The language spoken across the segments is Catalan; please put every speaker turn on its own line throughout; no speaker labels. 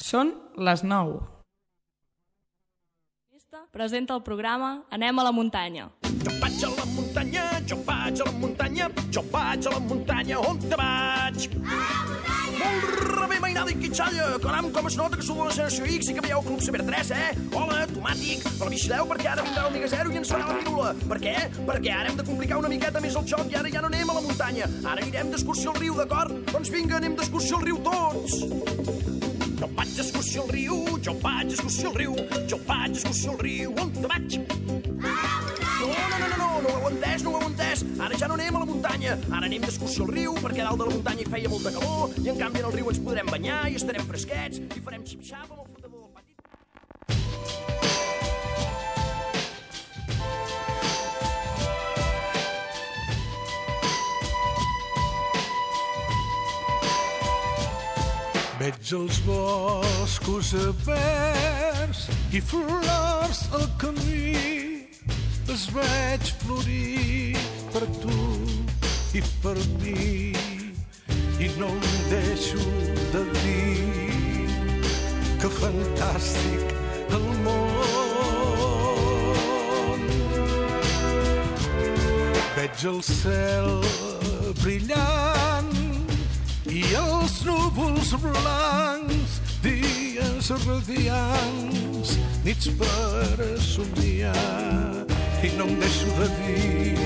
Són les 9.
Presenta el programa Anem a la muntanya.
Jo vaig a la muntanya, jo vaig a la muntanya, jo vaig a la muntanya, on te vaig? A la muntanya! Molt rebé, mainada i quitxalla, caram, com es nota que sou de la generació X i que veieu Club Saber 3, Hola, automàtic, però vigileu perquè ara vindrà el Miga Zero i ens farà la pirula. Per què? Perquè ara hem de complicar una miqueta més el joc i ara ja no anem a la muntanya, ara anirem d'excursió al riu, d'acord? Doncs vinga, anem d'excursió al riu tots! Jo vaig d'excursió al riu, jo vaig d'excursió al riu, jo vaig d'excursió al riu, on te vaig? No ho heu entès, ara ja no anem a la muntanya, ara anem d'excursió al riu perquè dalt de la muntanya hi feia molta calor i en canvi en el riu ens podrem banyar i estarem fresquets i farem xip-xap amb el flotador del pati.
Veig els boscos verds i flors al camí, els veig florir per tu i per mi i no em deixo de dir que fantàstic el món. Veig el cel brillant i els núvols blancs, dies radiants, nits per somiar, i no em deixo de dir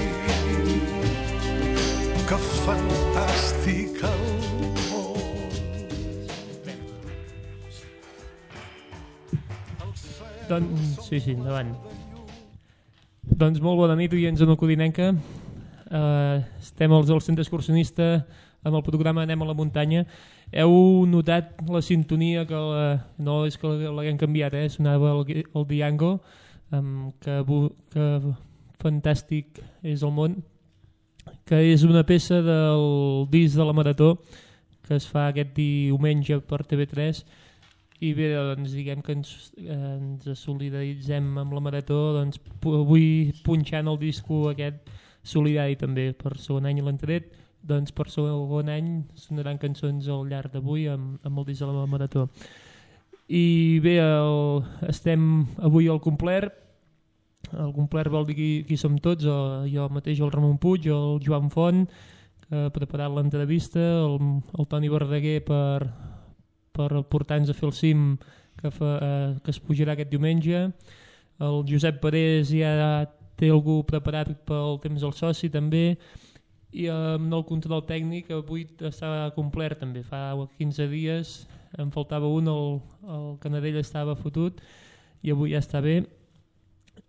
que fantàstic el món.
Doncs, sí, endavant. Doncs molt bona nit, oients de Codinenca. Estem al centre excursionista amb el programa Anem a la muntanya. Heu notat la sintonia que no és que l'haguem canviat, sonava el Diango, que fantàstic és el món, que és una peça del disc de la Marató que es fa aquest diumenge per TV3 i bé, doncs diguem que ens solidaritzem amb la Marató, doncs avui punxant el disco aquest solidari també per segon any l'han tret, doncs per segon any sonaran cançons al llarg d'avui amb el disc de la Marató. I bé, estem avui al complet. El complet vol dir qui som tots, jo mateix, el Ramon Puig, el Joan Font, que ha preparat l'entrevista, el Toni Verdaguer per portar-nos a fer el cim que es pujarà aquest diumenge, el Josep Parés ja té algú preparat pel temps del soci també, i amb el control tècnic avui estava complet també, fa 15 dies em faltava un, el Canadell estava fotut i avui ja està bé,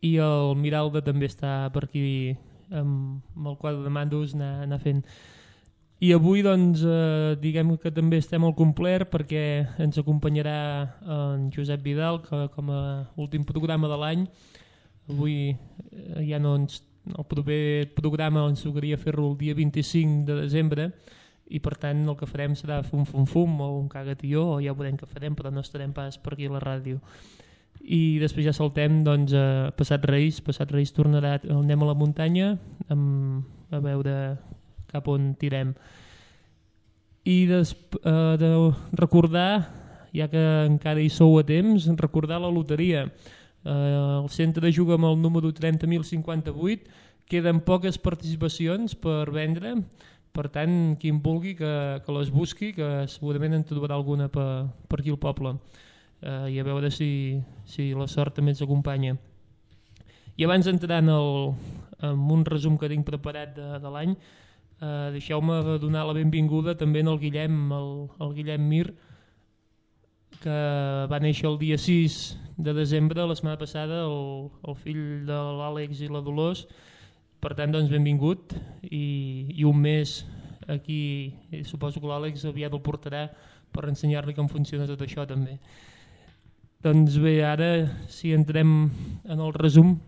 i el Miralda també està per aquí amb el quadre de mandos anar fent. I avui doncs diguem que també estem al complet perquè ens acompanyarà en Josep Vidal com a últim programa de l'any. Avui ja no el proper programa ens tocaria fer-lo el dia 25 de desembre i per tant el que farem serà fum o un cagatió o ja veurem què farem, però no estarem pas per aquí a la ràdio. I després ja saltem doncs, a Passat Reis tornarà, anem a la muntanya a veure cap on tirem. I de recordar, ja que encara hi sou a temps, recordar la loteria. El centre juga amb el número 30.058, queden poques participacions per vendre, per tant qui en vulgui que les busqui, que segurament en trobarà alguna per aquí al poble, i a veure si la sort també ens acompanya. I abans d'entrar en un resum que tinc preparat de l'any, deixeu-me donar la benvinguda també al Guillem, el Guillem Mir, que va néixer el dia 6 de desembre, la setmana passada, el fill de l'Àlex i la Dolors. Per tant, doncs, benvingut, i un mes aquí, suposo que l'Àlex aviat el portarà per ensenyar-li com funciona tot això també. Doncs bé, ara si entrem en el resum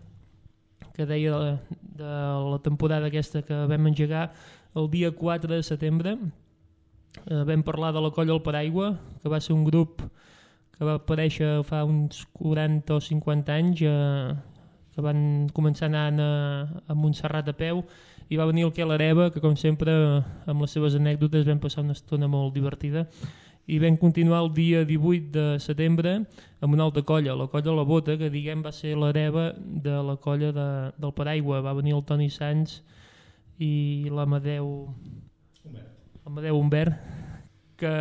que deia de la temporada aquesta que vam engegar el dia 4 de setembre, vam parlar de la Colla al Paraigua, que va ser un grup que va aparèixer fa uns 40 o 50 anys, que van començar anant a Montserrat a peu, i va venir el Quel Areva, que com sempre amb les seves anècdotes vam passar una estona molt divertida, i vam continuar el dia 18 de setembre amb una altra colla, la colla La Bota, que diguem va ser l'hereva de la colla del Paraigua. Va venir el Toni Sans i l'Amadeu Humbert, que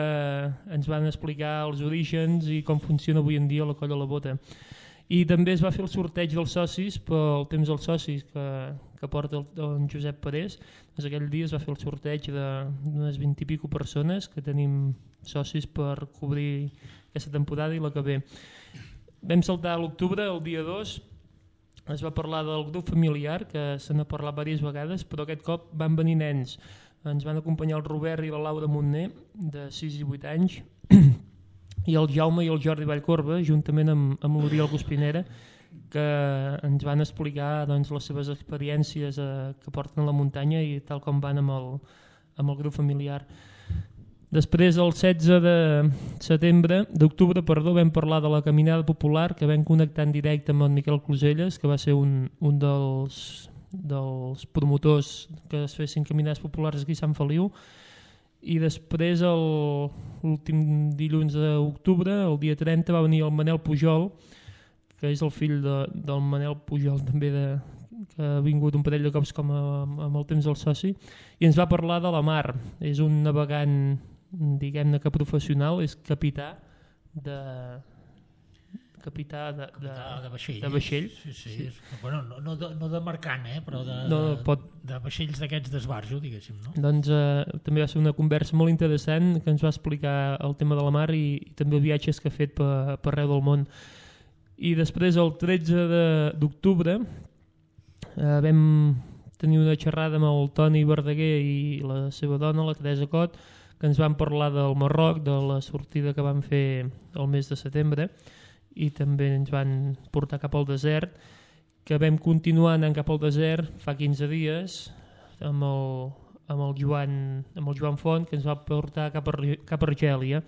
ens van explicar els orígens i com funciona avui en dia la colla La Bota. I també es va fer el sorteig dels socis pel temps dels socis que porta el Josep Parés. Doncs aquell dia es va fer el sorteig d'unes 20 i pico persones que tenim socis per cobrir aquesta temporada i la que ve. Vam saltar a l'octubre, el dia 2, es va parlar del grup familiar, que se n'ha parlat diverses vegades, però aquest cop van venir nens. Ens van acompanyar el Robert i la Laura Montner, de 6 i 8 anys, i el Jaume i el Jordi Vallcorba, juntament amb l'Oriol Guspinera, que ens van explicar doncs, les seves experiències que porten a la muntanya i tal com van amb el grup familiar. Després, el 16 d'octubre, vam parlar de la caminada popular, que vam connectar en directe amb el Miquel Closelles, que va ser un dels promotors que es fessin caminades populars aquí a Sant Feliu. I després, l'últim dilluns d'octubre, el dia 30, va venir el Manel Pujol, que és el fill del Manel Pujol, també que ha vingut un parell de cops com amb el temps del soci, i ens va parlar de la mar. És un navegant, diguem-ne que professional, és capità de vaixell. De vaixell.
Sí. Bueno, no de mercant, però de vaixells d'aquests d'esbarjo, diguéssim. No?
Doncs també va ser una conversa molt interessant que ens va explicar el tema de la mar i també els viatges que ha fet per arreu del món. I després, el 13 d'octubre, vam tenir una xerrada amb el Toni Verdaguer i la seva dona, la Teresa Cot, que ens van parlar del Marroc, de la sortida que van fer el mes de setembre, i també ens van portar cap al desert, que vam continuar anant cap al desert fa 15 dies amb el Joan Font, que ens va portar cap a Argèlia,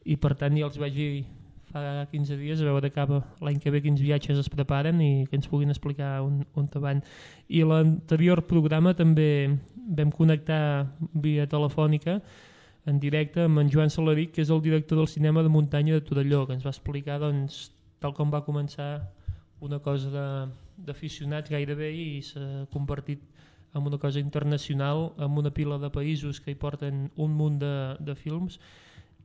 i per tant ja els vaig dir fa 15 dies a veure cap l'any que ve quins viatges es preparen i que ens puguin explicar on van. I l'anterior programa també vam connectar via telefònica en directe amb en Joan Salaric, que és el director del cinema de muntanya de Torelló, que ens va explicar doncs, tal com va començar una cosa d'aficionats gairebé i s'ha convertit en una cosa internacional, amb una pila de països que hi porten un munt de films,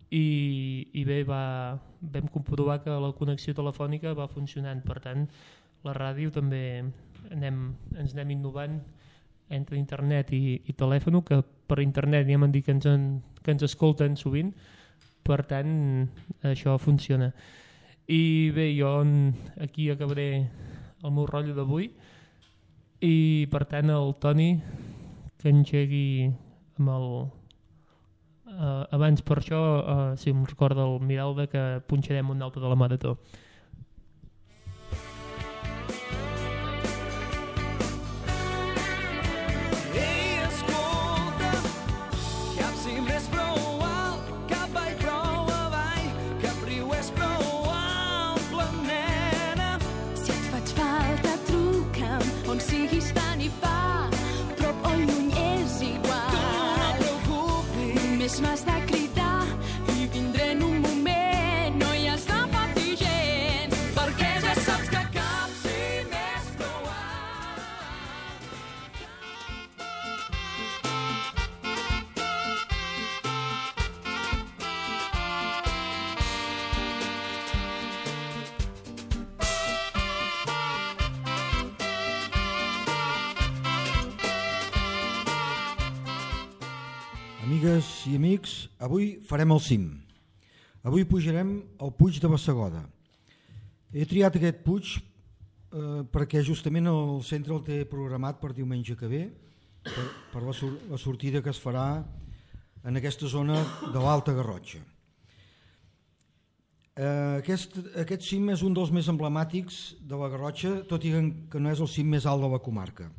i bé, vam comprovar que la connexió telefònica va funcionant. Per tant, la ràdio també ens anem innovant entre internet i telèfon, que per internet ja m'han dit que ens escolten sovint, per tant això funciona. I bé, jo aquí acabaré el meu rotllo d'avui i per tant el Toni que engegui amb el... abans per això, si em recorda el Miralda, que punxarem un altre de la marató.
M'has de cridar i vindré en un moment, no hi has de patir gens, perquè ja saps que cap cim és prou alt.
Amigues i amics, avui farem el cim. Avui pujarem al Puig de Bassegoda. He triat aquest puig perquè justament el centre el té programat per diumenge que ve, per la sortida que es farà en aquesta zona de l'Alta Garrotxa. Aquest cim és un dels més emblemàtics de la Garrotxa, tot i que no és el cim més alt de la comarca.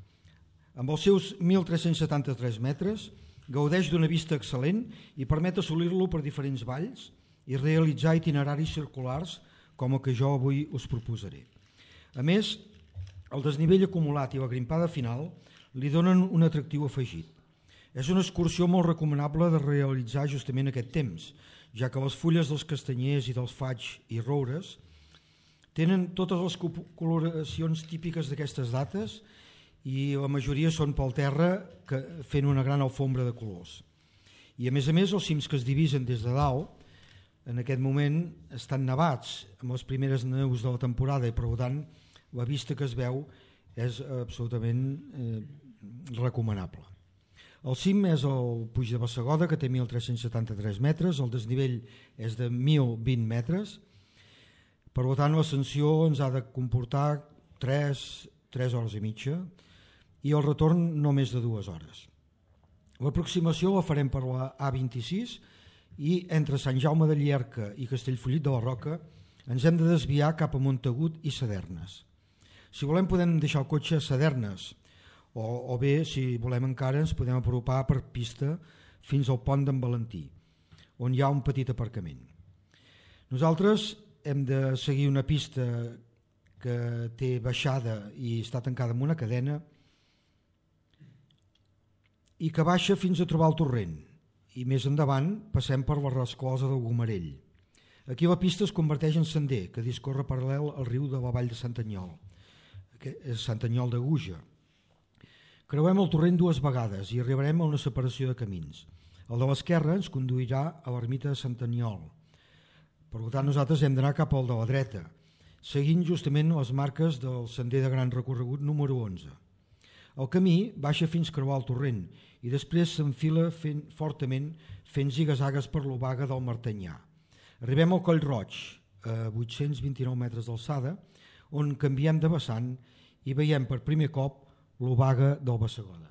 Amb els seus 1.373 metres, gaudeix d'una vista excel·lent i permet assolir-lo per diferents valls i realitzar itineraris circulars com el que jo avui us proposaré. A més, el desnivell acumulat i la grimpada final li donen un atractiu afegit. És una excursió molt recomanable de realitzar justament aquest temps, ja que les fulles dels castanyers i dels faigs i roures tenen totes les coloracions típiques d'aquestes dates i la majoria són pel terra fent una gran alfombra de colors. I a més, els cims que es divisen des de dalt en aquest moment estan nevats amb les primeres neus de la temporada i per tant la vista que es veu és absolutament recomanable. El cim és el Puig de Bassegoda, que té 1.373 metres, el desnivell és de 1.020 metres, per tant l'ascensió ens ha de comportar 3 hores i mitja i el retorn no més de 2 hores. L'aproximació la farem per la A26 i entre Sant Jaume de Llierca i Castellfollit de la Roca ens hem de desviar cap a Montagut i Sadernes. Si volem podem deixar el cotxe a Sadernes o bé, si volem encara, ens podem apropar per pista fins al pont d'en Valentí, on hi ha un petit aparcament. Nosaltres hem de seguir una pista que té baixada i està tancada amb una cadena i que baixa fins a trobar el torrent, i més endavant passem per la resclosa del Gomarell. Aquí la pista es converteix en sender que discorre paral·lel al riu de la vall de Santanyol, que és Santanyol de Guja. Creuem el torrent 2 vegades i arribarem a una separació de camins. El de l'esquerra ens conduirà a l'ermita de Santanyol. Per tant, nosaltres hem d'anar cap al de la dreta, seguint justament les marques del sender de gran recorregut número 11. El camí baixa fins creuar el torrent i després s'enfila fortament fent zigazagues per l'obaga del Martanyà. Arribem al Coll Roig, a 829 metres d'alçada, on canviem de vessant i veiem per primer cop l'obaga del Bassegoda.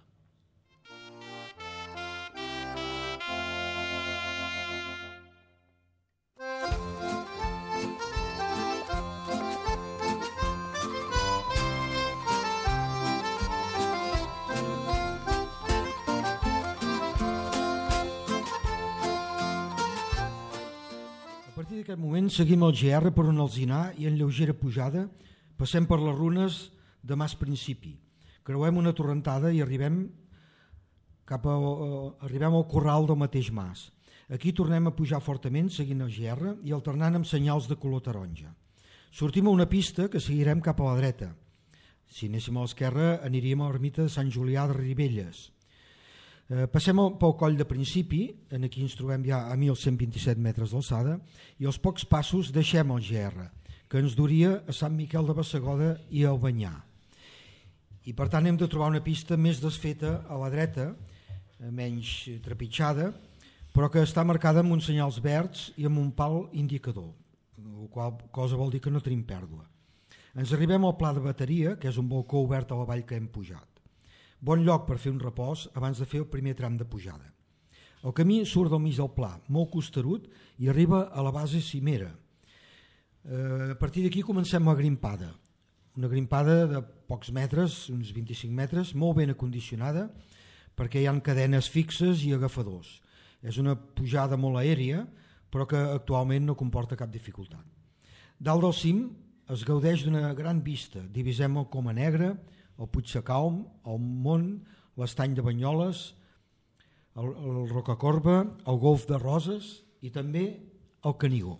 A partir d'aquest moment seguim el GR per un alzinar i en lleugera pujada passem per les runes de Mas Principi. Creuem una torrentada i arribem al corral del mateix mas. Aquí tornem a pujar fortament seguint el GR i alternant amb senyals de color taronja. Sortim a una pista que seguirem cap a la dreta. Si anéssim a l'esquerra aniríem a l'ermita de Sant Julià de Ribelles. Passem pel coll de Principi, aquí ens trobem ja a 1.127 metres d'alçada, i als pocs passos deixem el GR, que ens duria a Sant Miquel de Bassegoda i a Albanyà. I per tant hem de trobar una pista més desfeta a la dreta, menys trepitjada, però que està marcada amb uns senyals verds i amb un pal indicador, la qual cosa vol dir que no tenim pèrdua. Ens arribem al pla de bateria, que és un balcó obert a la vall que hem pujat. Bon lloc per fer un repòs abans de fer el primer tram de pujada. El camí surt del mig del pla, molt costerut, i arriba a la base cimera. A partir d'aquí comencem la grimpada. Una grimpada de pocs metres, uns 25 metres, molt ben acondicionada, perquè hi ha cadenes fixes i agafadors. És una pujada molt aèria, però que actualment no comporta cap dificultat. Dalt del cim es gaudeix d'una gran vista. Divisem el Coma Negra, el Puig Sacalm, el Mont, l'Estany de Banyoles, el Rocacorba, el Golf de Roses i també el Canigó.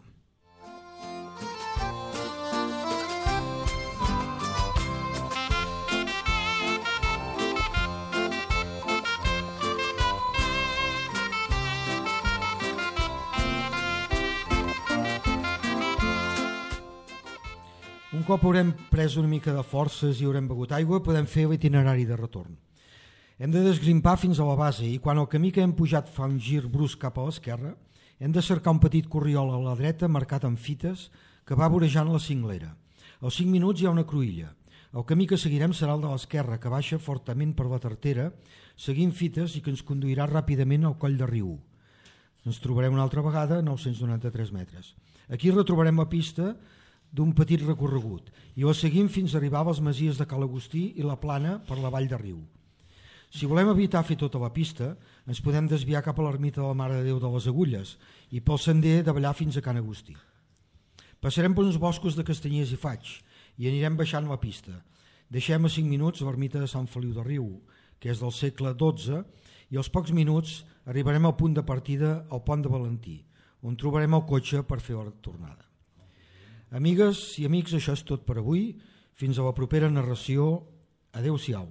Un cop haurem pres una mica de forces i haurem begut aigua, podem fer l'itinerari de retorn. Hem de desgrimpar fins a la base i quan el camí que hem pujat fa un gir brusc cap a l'esquerra, hem de cercar un petit corriol a la dreta marcat amb fites que va vorejant la cinglera. Als 5 minuts hi ha una cruïlla. El camí que seguirem serà el de l'esquerra, que baixa fortament per la Tartera, seguint fites i que ens conduirà ràpidament al Coll de Riu. Ens trobarem una altra vegada a 993 metres. Aquí retrobarem la pista d'un petit recorregut i la seguim fins a arribar a les masies de Cal Agustí i la Plana per la vall de Riu. Si volem evitar fer tota la pista, ens podem desviar cap a l'ermita de la Mare de Déu de les Agulles i pel sender de ballar fins a Can Agustí. Passarem per uns boscos de castanyers i faigs i anirem baixant la pista. Deixem a 5 minuts l'ermita de Sant Feliu de Riu, que és del segle XII, i als pocs minuts arribarem al punt de partida al Pont de Valentí, on trobarem el cotxe per fer la tornada. Amigues i amics, això és tot per avui. Fins a la propera narració. Adéu-siau.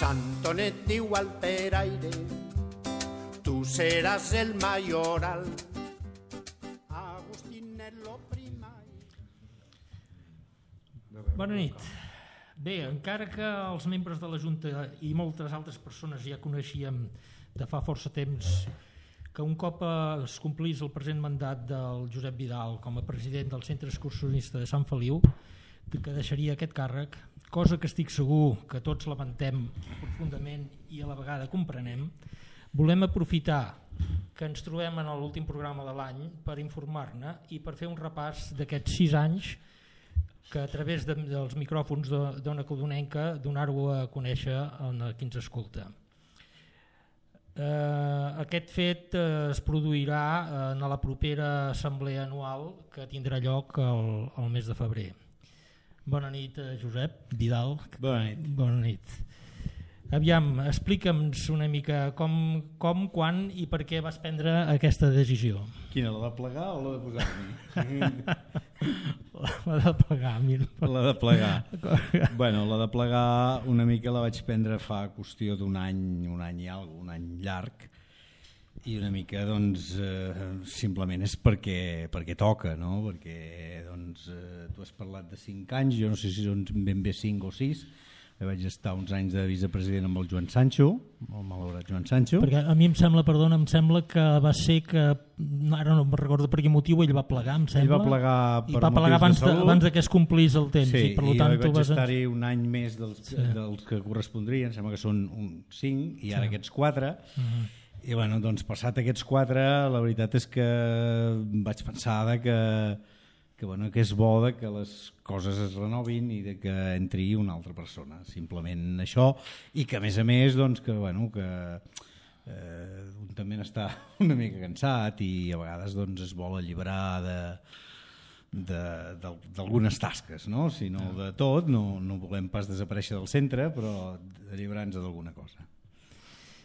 Santonet diu al peraire, tu seràs el mayoral. Agustinet lo primari.
Bona nit. Bé, encara que els membres de la Junta i moltes altres persones ja coneixíem de fa força temps que un cop es complís el present mandat del Josep Vidal com a president del Centre Excursionista de Sant Feliu, que deixaria aquest càrrec, cosa que estic segur que tots lamentem profundament i a la vegada comprenem, volem aprofitar que ens trobem en l'últim programa de l'any per informar-ne i per fer un repàs d'aquests 6 anys que a través dels micròfons d'Ona Codonenca donar-ho a conèixer a qui ens escolta. Aquest fet es produirà en la propera assemblea anual que tindrà lloc el mes de febrer. Bona nit, Josep Vidal.
Bona nit.
Bona nit. Aviam, explica'ns una mica com, quan i per què vas prendre aquesta decisió.
Quina, la de plegar o la de posar-m'hi?
La de plegar.
La de plegar. Bueno, la de plegar una mica la vaig prendre fa qüestió d'un any i alguna, un any llarg, i una mica doncs simplement és perquè toca, no? Perquè doncs tu has parlat de 5 anys, jo no sé si són ben bé 5 o 6, vaig estar uns anys de vicepresident amb el Joan Sancho, el malaurat Joan Sancho.
Perquè a mi em sembla que va ser que, ara no em recordo per quin motiu, ell va plegar, em sembla.
Ell va plegar per
motius
de salut.
Abans que es complís el temps.
Sí,
i per tant,
vaig estar-hi un any més dels que correspondrien, sembla que són 5, i ara aquests 4. I bueno, doncs passat aquests 4, la veritat és que vaig pensar que és bo que les coses es renovin i que entri una altra persona, simplement això, i que a més doncs, que un també n'està una mica cansat i a vegades doncs, es vol alliberar d'algunes tasques, no? Si no de tot, no volem pas desaparèixer del centre, però alliberar-nos d'alguna cosa.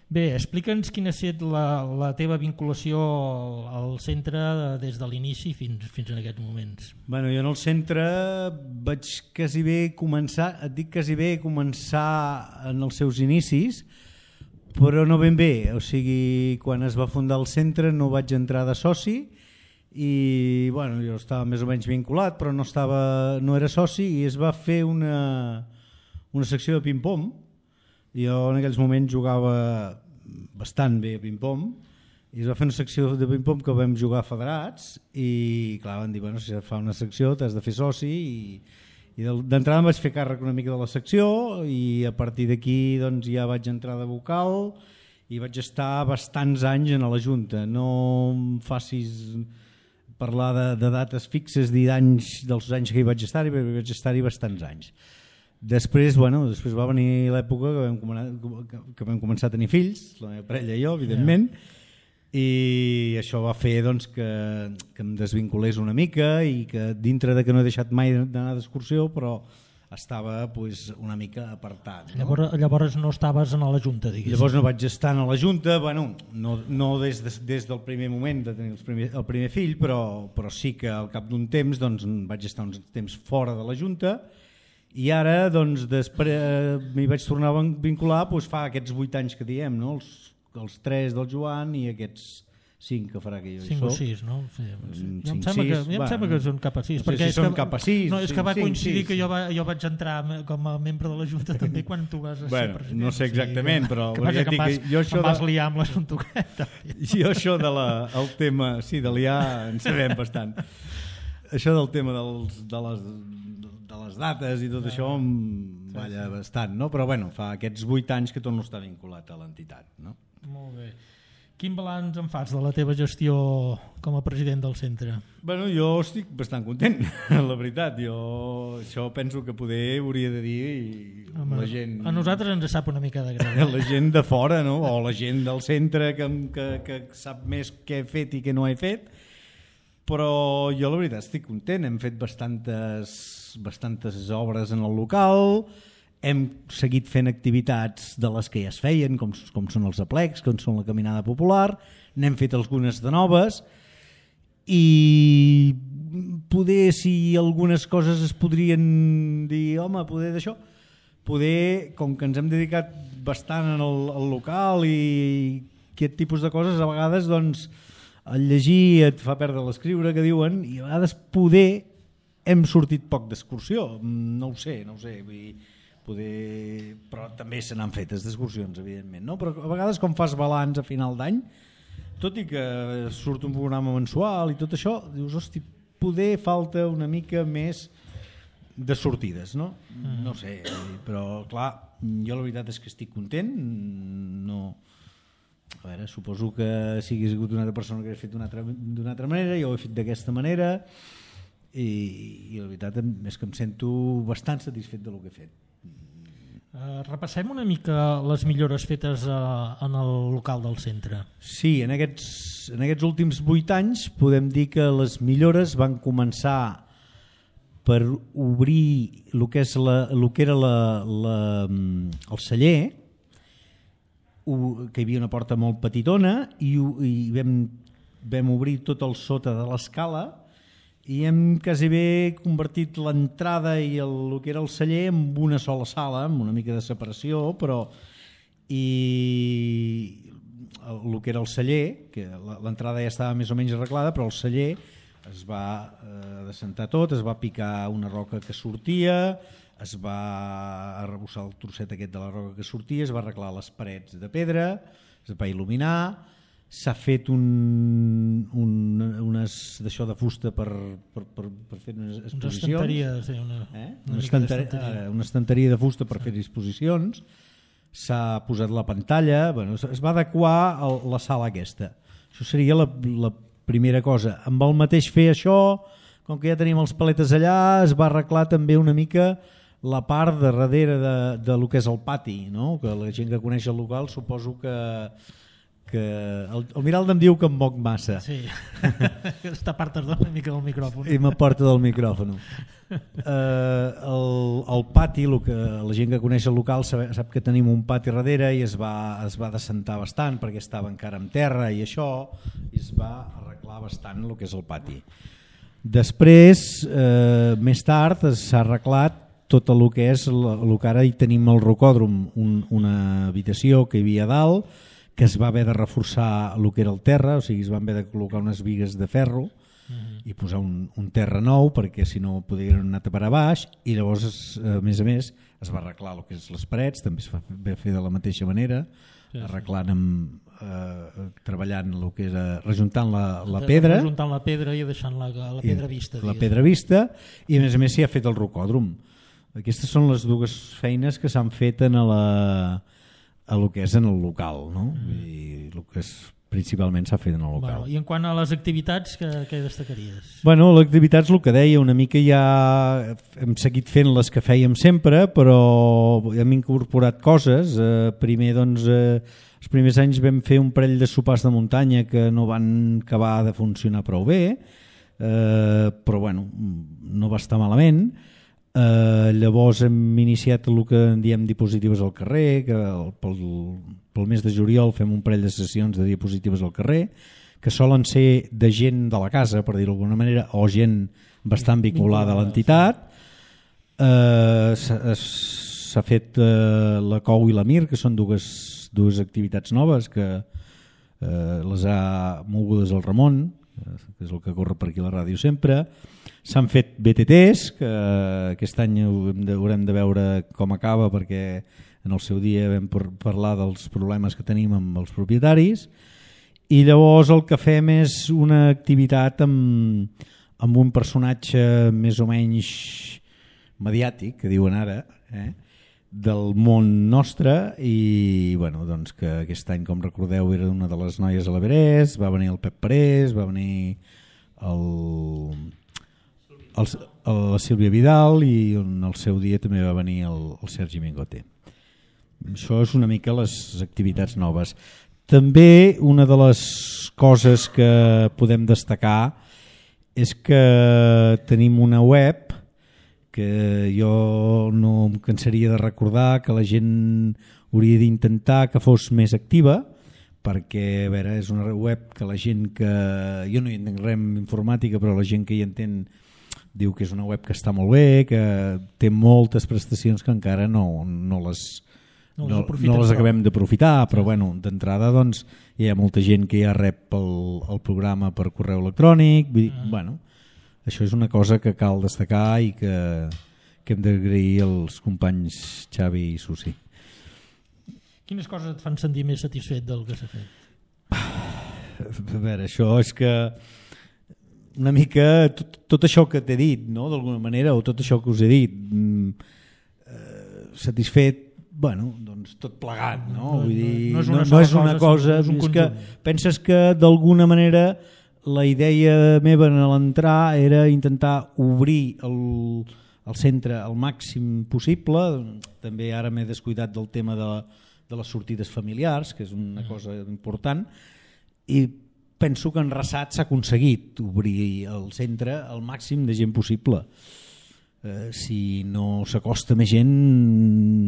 Bé, explica'ns quina ha estat la teva vinculació al centre des de l'inici fins en aquests moments.
Bueno, jo en el centre vaig quasi bé començar en els seus inicis, però no ben bé. O sigui, quan es va fundar el centre no vaig entrar de soci i bueno, jo estava més o menys vinculat, però no era soci, i es va fer una secció de ping-pong. Jo en aquells moments jugava bastant bé a ping-pong i es va fer una secció de ping-pong que vam jugar federats i clar, van dir, bueno, si fa una secció t'has de fer soci, i d'entrada em vaig fer càrrec una mica de la secció i a partir d'aquí doncs, ja vaig entrar de vocal i vaig estar bastants anys en la Junta. No em facis parlar de dates fixes dels anys que hi vaig estar-hi, perquè vaig estar-hi bastants anys. Després va venir l'època que vam començar a tenir fills, la meva parella i jo, evidentment, i això va fer doncs, que em desvinculés una mica i que dintre de que no he deixat mai d'anar d'excursió, però estava una mica apartat. No?
Llavors no estaves en la Junta, diguéssim.
Llavors no vaig estar en la Junta, no des del primer moment de tenir el primer fill, però sí que al cap d'un temps vaig estar uns temps fora de la Junta. I ara després m'hi vaig tornar a vincular fa aquests 8 anys que diem, no? Els 3 del Joan i aquests 5 que farà que jo
5 o 6, no? Sí, jo em sembla que són cap a 6.
No sé si són cap a 6.
No, és que va coincidir que jo vaig entrar com a membre de la Junta també quan tu vas ser president.
No sé exactament, però...
Que passa que em vas liar amb l'assumpte aquest.
Jo això el tema... Sí, de liar en sabem bastant. Això del tema de les dates i tot això em balla bastant, no? Però bueno, fa aquests 8 anys que torno a estar vinculat a l'entitat, no?
Molt bé. Quin balanç en fas de la teva gestió com a president del centre?
Bueno, jo estic bastant content, la veritat. Jo això penso que poder hauria de dir la gent...
A nosaltres ens sap una mica de greu.
La gent de fora, no? O la gent del centre que sap més què he fet i què no he fet. Però jo la veritat estic content. Hem fet bastantes obres en el local, hem seguit fent activitats de les que ja es feien, com són els aplecs, com són la caminada popular, n'hem fet algunes de noves i poder, si algunes coses es podrien dir, home, poder d'això, poder, com que ens hem dedicat bastant al local i aquest tipus de coses, a vegades doncs, el llegir et fa perdre l'escriure, que diuen, i a vegades poder hem sortit poc d'excursió, no ho sé, vull dir, però també se n'han fetes d'excursions, evidentment, no? Però a vegades com fas balanç a final d'any, tot i que surt un programa mensual i tot això, dius, hosti, poder falta una mica més de sortides, no? No sé, però clar, jo la veritat és que estic content, no... A veure, suposo que si hagués hagut una altra persona que hagués fet d'una altra manera, jo ho he fet d'aquesta manera i la veritat és que em sento bastant satisfet del que he fet.
Repassem una mica les millores fetes en el local del centre.
Sí, en aquests últims 8 anys podem dir que les millores van començar per obrir el que era el celler, que hi havia una porta molt petitona i vam obrir tot el sota de l'escala i hem quasi bé convertit l'entrada i el que era el celler en una sola sala, amb una mica de separació, però i el que era el celler, que l'entrada ja estava més o menys arreglada, però el celler es va descentar tot, es va picar una roca que sortia, es va arrebossar el trosset aquest de la roca que sortia, es va arreglar les parets de pedra, es va il·luminar, s'ha fet unes d'això de fusta per fer unes exposicions, una estanteria de fusta per fer exposicions, s'ha posat la pantalla, es va adequar la sala aquesta. Això seria la primera cosa. Amb el mateix fer això, com que ja tenim els paletes allà, es va arreglar també una mica la part de darrere de lo que és el pati, no? Que la gent que coneix el local suposo que el Miralda em diu que em moc massa.
Sí, aquesta part es dona una mica del micròfon.
I m'aporta del micròfon. El pati, la gent que coneix el local sap que tenim un pati darrere i es va descentar bastant perquè estava encara en terra i això, i es va arreglar bastant el que és el pati. Després, més tard, s'ha arreglat tot el que és el que ara hi tenim al rocòdrom, una habitació que hi havia a dalt, que es va haver de reforçar el que era el terra, o sigui, es van haver de col·locar unes bigues de ferro i posar un terra nou perquè si no podien anar a parar baix, i llavors a més es va arreglar el que és les parets, també es va fer de la mateixa manera, arreglant treballant el que és rejuntant la pedra,
rejuntant la pedra i deixant la pedra vista,
la pedra vista, i a més s'hi ha fet el rocòdrom. Aquestes són les dues feines que s'han fet en el que és en el local, no? I el que principalment s'ha fet en el local.
I en quant a les activitats, què destacaries?
Bueno, les activitats, el que deia, una mica ja hem seguit fent les que fèiem sempre, però hem incorporat coses. Primer, doncs, els primers anys vam fer un parell de sopars de muntanya que no van acabar de funcionar prou bé, però bueno, no va estar malament. Llavors hem iniciat el que en diem diapositives al carrer, que pel mes de juliol fem un parell de sessions de diapositives al carrer, que solen ser de gent de la casa, per dir-ho d'alguna manera, o gent bastant vinculada a l'entitat. S'ha fet la COU i la MIR, que són dues activitats noves que les ha mogudes el Ramon, que és el que corre per aquí a la ràdio sempre. S'han fet BTTs, que aquest any haurem de veure com acaba, perquè en el seu dia vam parlar dels problemes que tenim amb els propietaris, i llavors el que fem és una activitat amb un personatge més o menys mediàtic, que diuen ara, del món nostre, i bueno, doncs que aquest any, com recordeu, era una de les noies a l'Everest, va venir el Pep Parés, va venir la Sílvia Vidal, i en el seu dia també va venir el Sergi Mingote. Això és una mica les activitats noves. També una de les coses que podem destacar és que tenim una web que jo no em cansaria de recordar, que la gent hauria d'intentar que fos més activa, perquè a veure, és una web que la gent que... Jo no hi entenc res en informàtica, però la gent que hi entén diu que és una web que està molt bé, que té moltes prestacions que encara no les acabem d'aprofitar, però bueno, d'entrada doncs, hi ha molta gent que ja rep el programa per correu electrònic. Vull dir, bueno, això és una cosa que cal destacar i que hem d'agrair als companys Xavi i Susi.
Quines coses et fan sentir més satisfet del que s'ha fet?
A veure, això és que una mica tot això que t'he dit, no? D'alguna manera, o tot això que us he dit, satisfet, bueno, doncs tot plegat, no? Vull dir, no és una cosa, és que penses que d'alguna manera la idea meva en l'entrar era intentar obrir el centre al màxim possible. També ara m'he descuidat del tema de les sortides familiars, que és una cosa important, i penso que en Rassat s'ha aconseguit obrir el centre al màxim de gent possible. Si no s'acosta més gent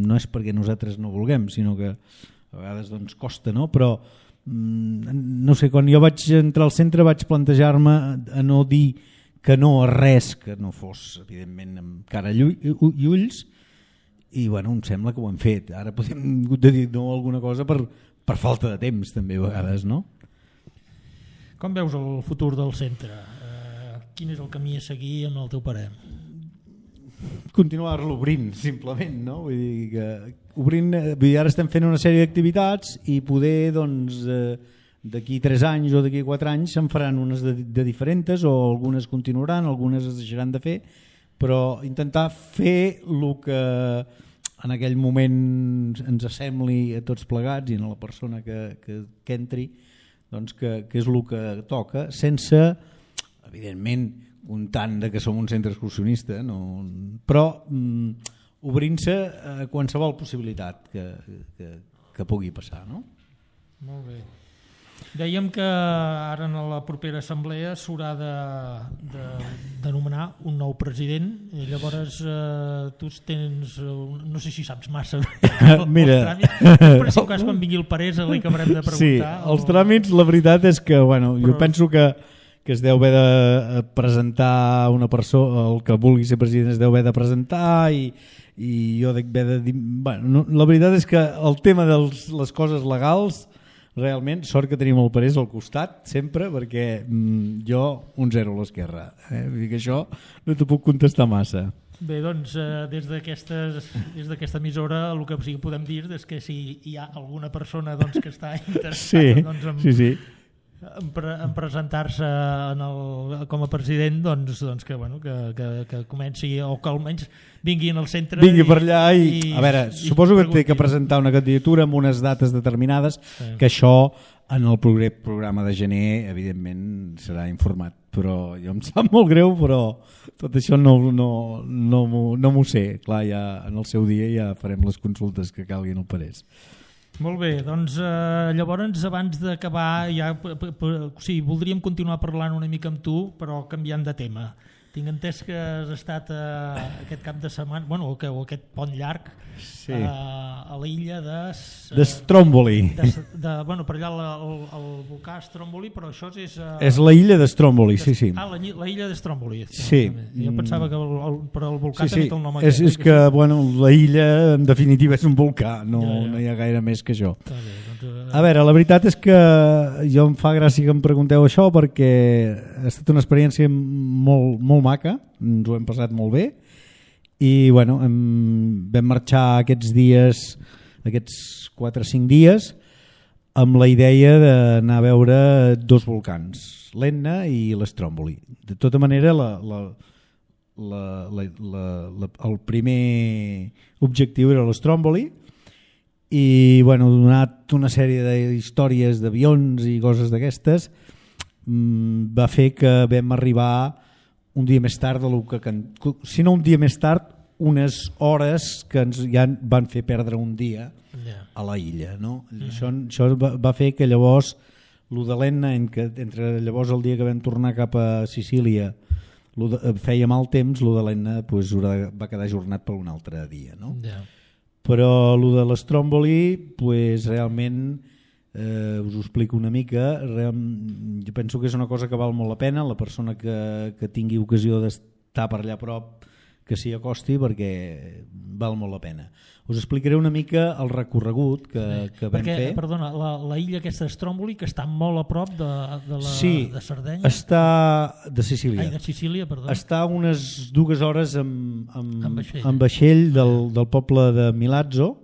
no és perquè nosaltres no vulguem, sinó que a vegades doncs costa, no? Però no sé, quan jo vaig entrar al centre vaig plantejar-me a no dir que no a res que no fos evidentment amb cara i ulls, i bueno, em sembla que ho hem fet. Ara podem dir no a alguna cosa per falta de temps també a vegades, no?
Com veus el futur del centre? Quin és el camí a seguir amb el teu parer?
Continuar-lo obrint, simplement, no? Vull dir que obrint, ara estem fent una sèrie d'activitats i poder, doncs, d'aquí 3 anys o d'aquí 4 anys se'n faran unes de diferents, o algunes continuaran, algunes es deixaran de fer, però intentar fer el que en aquell moment ens assembli a tots plegats i a la persona que entri, doncs que és el que toca, sense, evidentment, comptant que som un centre excursionista, no? Però obrint-se a qualsevol possibilitat que pugui passar, no?
Molt bé. Dèiem que ara en la propera assemblea s'haurà de nomenar un nou president, i llavors tu tens, no sé si saps massa
mira,
però si en cas quan vingui el Parés li acabarem de preguntar.
Sí, els tràmits, la veritat és que bueno, jo penso que es deu haver de presentar una persona, el que vulgui ser president es deu haver de presentar, i jo dic haver de dir... Bueno, la veritat és que el tema de les coses legals, realment, sort que tenim el Parés al costat, sempre, perquè jo un 0 a l'esquerra. Vull dir que això no t'ho puc contestar massa.
Bé, doncs, des d'aquesta emissora el que sí que podem dir és que si hi ha alguna persona doncs, que està interessada en presentar-se com a president, doncs que comenci, o que almenys vingui al centre.
Vingui per allà i a veure, suposo que té que presentar una candidatura amb unes dates determinades, que això en el programa de gener evidentment serà informat, però jo em sap molt greu, però tot això no m'ho sé. Clar, ja en el seu dia ja farem les consultes que calguin al Parés.
Molt bé, doncs llavors abans d'acabar ja, voldríem continuar parlant una mica amb tu, però canviant de tema. Tinc entès que has estat aquest cap de setmana, o aquest pont llarg, a l'illa de
Stromboli.
Per allà el volcà Stromboli, però això és...
És la illa de Stromboli, sí.
Ah, la illa de Stromboli.
Sí.
Jo pensava que el volcà també té el nom aquest.
És que la illa en definitiva és un volcà, no hi ha gaire més que això. A veure, la veritat és que jo em fa gràcia que em pregunteu això perquè ha estat una experiència molt, molt maca, ens ho hem passat molt bé i bueno, vam marxar aquests dies, aquests 4 o 5 dies amb la idea d'anar a veure 2 volcans, l'Etna i l'Stromboli. De tota manera, el primer objectiu era l'Stromboli i bueno, donat una sèrie d'històries d'avions i coses d'aquestes va fer que vam arribar un dia més tard si no un dia més tard, unes hores que ens ja van fer perdre un dia a la illa, no? Això va fer que llavors lo de l'Etna, entre llavors el dia que vam tornar cap a Sicília feia mal temps, lo de l'Etna pues, va quedar ajornat per un altre dia, no? Però lo de l'Stromboli pues, realment us ho explico una mica, jo penso que és una cosa que val molt la pena, la persona que tingui ocasió d'estar per allà a prop que s'hi acosti perquè val molt la pena. Us explicaré una mica el recorregut que vam fer.
Perdona, la illa aquesta d'Stromboli que està molt a prop de Sardenya?
Sí, està de Sicília.
Ai, de Sicília, perdó.
Està unes 2 hores amb vaixell del poble de Milazzo,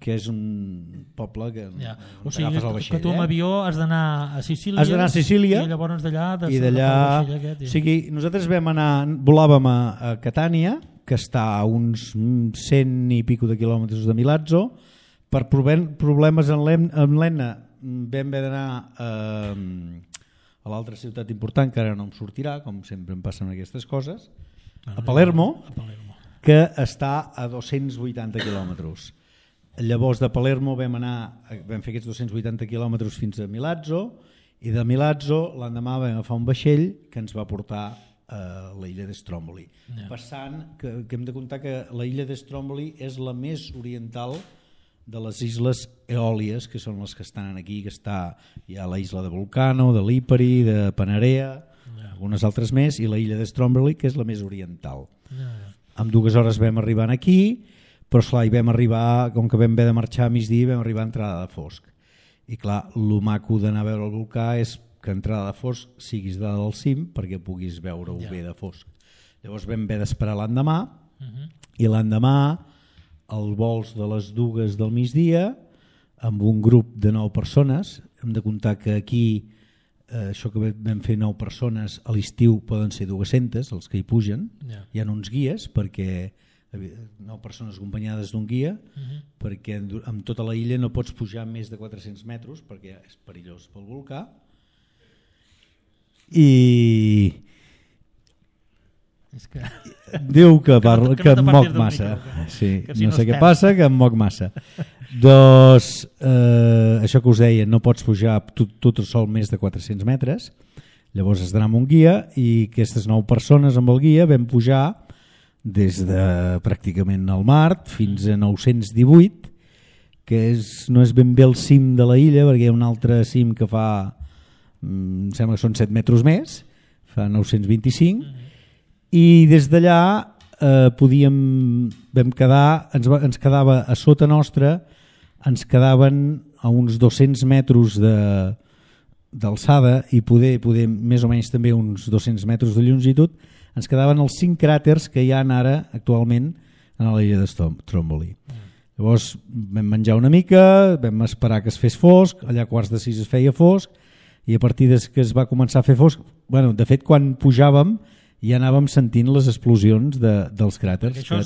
que és un poble que
o sigui, agafes el vaixell. Que tu amb avió has d'anar a Sicília,
has d'anar a Sicília
i llavors d'allà
o sigui, nosaltres volàvem a Catània, que està a uns 100 i pico de quilòmetres de Milazzo. Per problemes amb l'Etna vam haver d'anar a l'altra ciutat important, que ara no em sortirà, com sempre em passen aquestes coses, a Palermo, que està a 280 quilòmetres. Llavors de Palermo vam fer aquests 280 quilòmetres fins a Milazzo i de Milazzo l'endemà vam agafar un vaixell que ens va portar a la illa d'Stromboli. Passant, que hem de comptar que la illa d'Stromboli és la més oriental de les isles Eòlies, que són les que estan aquí, que hi ha la isla de Vulcano, de Lipari, de Panarea, algunes altres més, i la illa d'Stromboli, que és la més oriental. Amb 2 hores vam arribar aquí, però esclar, hi vam arribar, com que vam haver de marxar a migdia, vam arribar a entrada de fosc. I clar, el maco d'anar a veure el volcà és que a entrada de fosc siguis dalt del cim perquè puguis veure-ho bé de fosc. Llavors vam haver d'esperar l'endemà i l'endemà el vols de les 2 del migdia amb un grup de 9 persones. Hem de comptar que aquí això que vam fer 9 persones a l'estiu poden ser 200 els que hi pugen. Hi ha uns guies perquè 9 persones acompanyades d'un guia perquè amb tota la illa no pots pujar més de 400 metres perquè és perillós pel volcà i diu que em moc massa no sé què passa, que em moc massa doncs això que us deia, no pots pujar tot sol més de 400 metres, llavors has d'anar amb un guia i aquestes 9 persones amb el guia vam pujar des de pràcticament el mar fins a 918, que no és ben bé el cim de la illa perquè hi ha un altre cim que fa em sembla que són 7 metres més, fa 925 i des d'allà ens quedava a sota nostra, ens quedaven a uns 200 metres d'alçada i poder més o menys també uns 200 metres de longitud, ens quedaven els 5 cràters que hi ha ara actualment a la illa de Stromboli. Llavors vam menjar una mica, vam esperar que es fes fosc, allà a 5:15 es feia fosc i a partir que es va començar a fer fosc, de fet quan pujàvem ja anàvem sentint les explosions dels cràters.
Això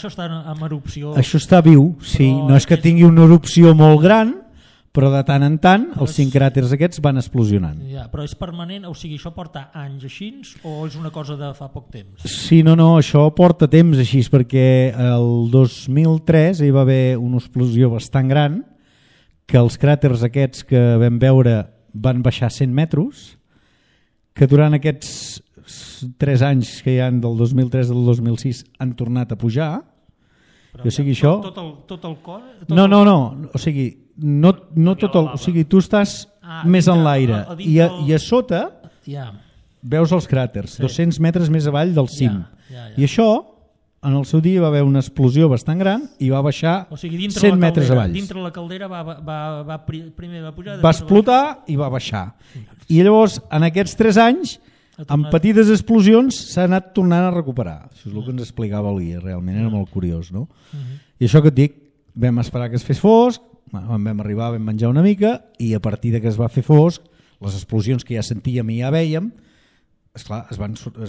està en erupció.
Això està viu, sí, no és que tingui una erupció molt gran, però de tant en tant els 5 cràters aquests van explosionant.
Però és permanent, o sigui, això porta anys així o és una cosa de fa poc temps?
Sí, no, això porta temps així perquè el 2003 hi va haver una explosió bastant gran que els cràters aquests que vam veure van baixar 100 metres, que durant aquests 3 anys que hi ha del 2003 al 2006 han tornat a pujar.
Però o sigui, això... Tot el cor?
No, o sigui, no tot el... O sigui, tu estàs més en l'aire i a sota veus els cràters, 200 metres més avall del cim. I això en el seu dia va haver una explosió bastant gran i va baixar
O sigui,
100 metres avall.
dintre la caldera primer va pujar...
Va explotar i va baixar. I llavors, en aquests 3 anys, amb petites explosions, s'ha anat tornant a recuperar. Això és el que ens explicava el guia, realment era molt curiós, no? I això que et dic, vam esperar que es fes fosc, vam arribar, vam menjar una mica, i a partir de que es va fer fosc, les explosions que ja sentíem i ja vèiem, esclar, es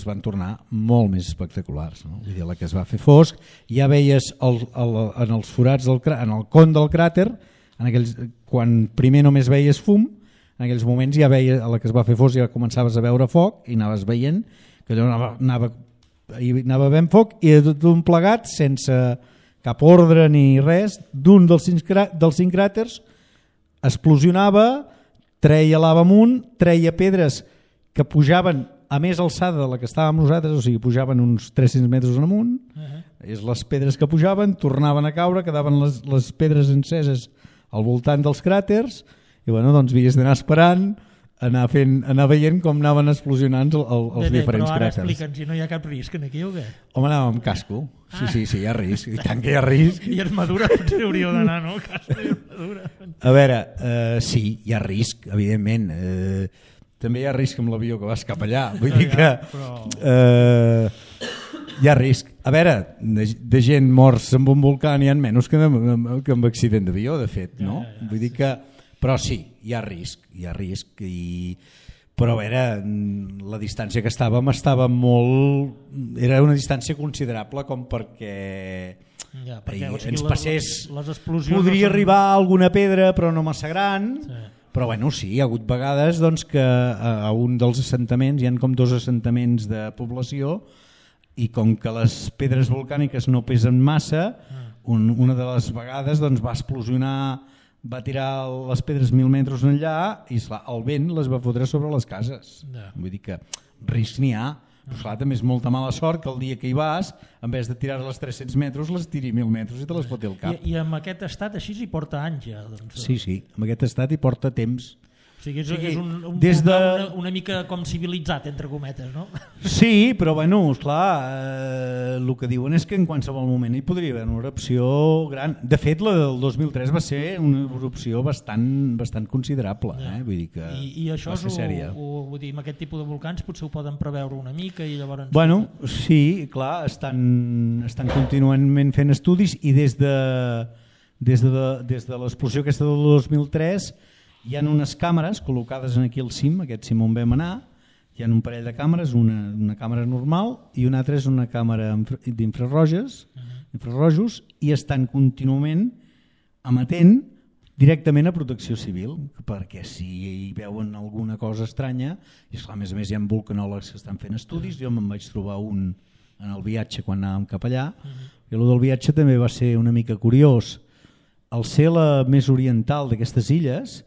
van tornar molt més espectaculars. No? Vull dir, la que es va fer fosc, ja veies en els forats, en el con del cràter, quan primer només veies fum, en aquells moments ja veies, a la que es va fer fosc ja començaves a veure foc i anaves veient que allò anava ben foc i tot un plegat sense cap ordre ni res, d'un dels 5 cràters explosionava, treia lava amunt, treia pedres que pujaven a més alçada de la que estàvem nosaltres, o sigui, pujaven uns 300 metres en amunt, les pedres que pujaven tornaven a caure, quedaven les pedres enceses al voltant dels cràters i bueno, doncs havies d'anar esperant, anar veient com anaven explosionant els diferents cràters.
Però ara explica'ns, si no hi ha cap risc aquí o què?
Home, anàvem amb casco. Sí, hi ha risc. I tant que hi ha risc.
I armadura potser hauríeu d'anar, no? Casco i armadura.
A veure, sí, hi ha risc, evidentment. També hi ha risc amb l'avió que vas cap allà. Vull dir que hi ha risc. A veure, de gent morts amb un volcà n'hi ha menys que amb accident d'avió, de fet, no? Vull dir que... Però sí, hi ha risc, però a veure, la distància que estàvem molt... Era una distància considerable com perquè ens passés... Podria arribar alguna pedra però no massa gran, però bueno, sí, hi ha hagut vegades doncs, que a un dels assentaments, hi ha com 2 assentaments de població, i com que les pedres volcàniques no pesen massa, una de les vegades doncs, va explosionar... va tirar les pedres 1.000 metres enllà i esclar, el vent les va fotre sobre les cases. Vull dir que risc n'hi ha, però esclar, també és molta mala sort que el dia que hi vas, en vez de tirar-les 300 metres, les tiri 1.000 metres i te les foti al cap.
I amb aquest estat així hi porta anys ja? Doncs...
Sí, amb aquest estat hi porta temps.
O sigui, és una mica com civilitzat, entre cometes, no?
Sí, però bueno, esclar, el que diuen és que en qualsevol moment hi podria haver una erupció gran. De fet, la del 2003 va ser una erupció bastant considerable. Vull dir que
I això vull dir, amb aquest tipus de volcans potser ho poden preveure una mica i llavors...
Bueno, sí, clar, estan continuament fent estudis i des de l'explosió aquesta del 2003 hi ha unes càmeres col·locades aquí al cim, aquest cim on vam anar, hi ha un parell de càmeres, una càmera normal i una altra és una càmera d'infrarrojos i estan contínuament emetent directament a Protecció Civil, perquè si hi veuen alguna cosa estranya, i esclar, a més hi ha vulcanòlegs que estan fent estudis, jo me'n vaig trobar un en el viatge quan anàvem cap allà, i el del viatge també va ser una mica curiós. Al ser la més oriental d'aquestes illes,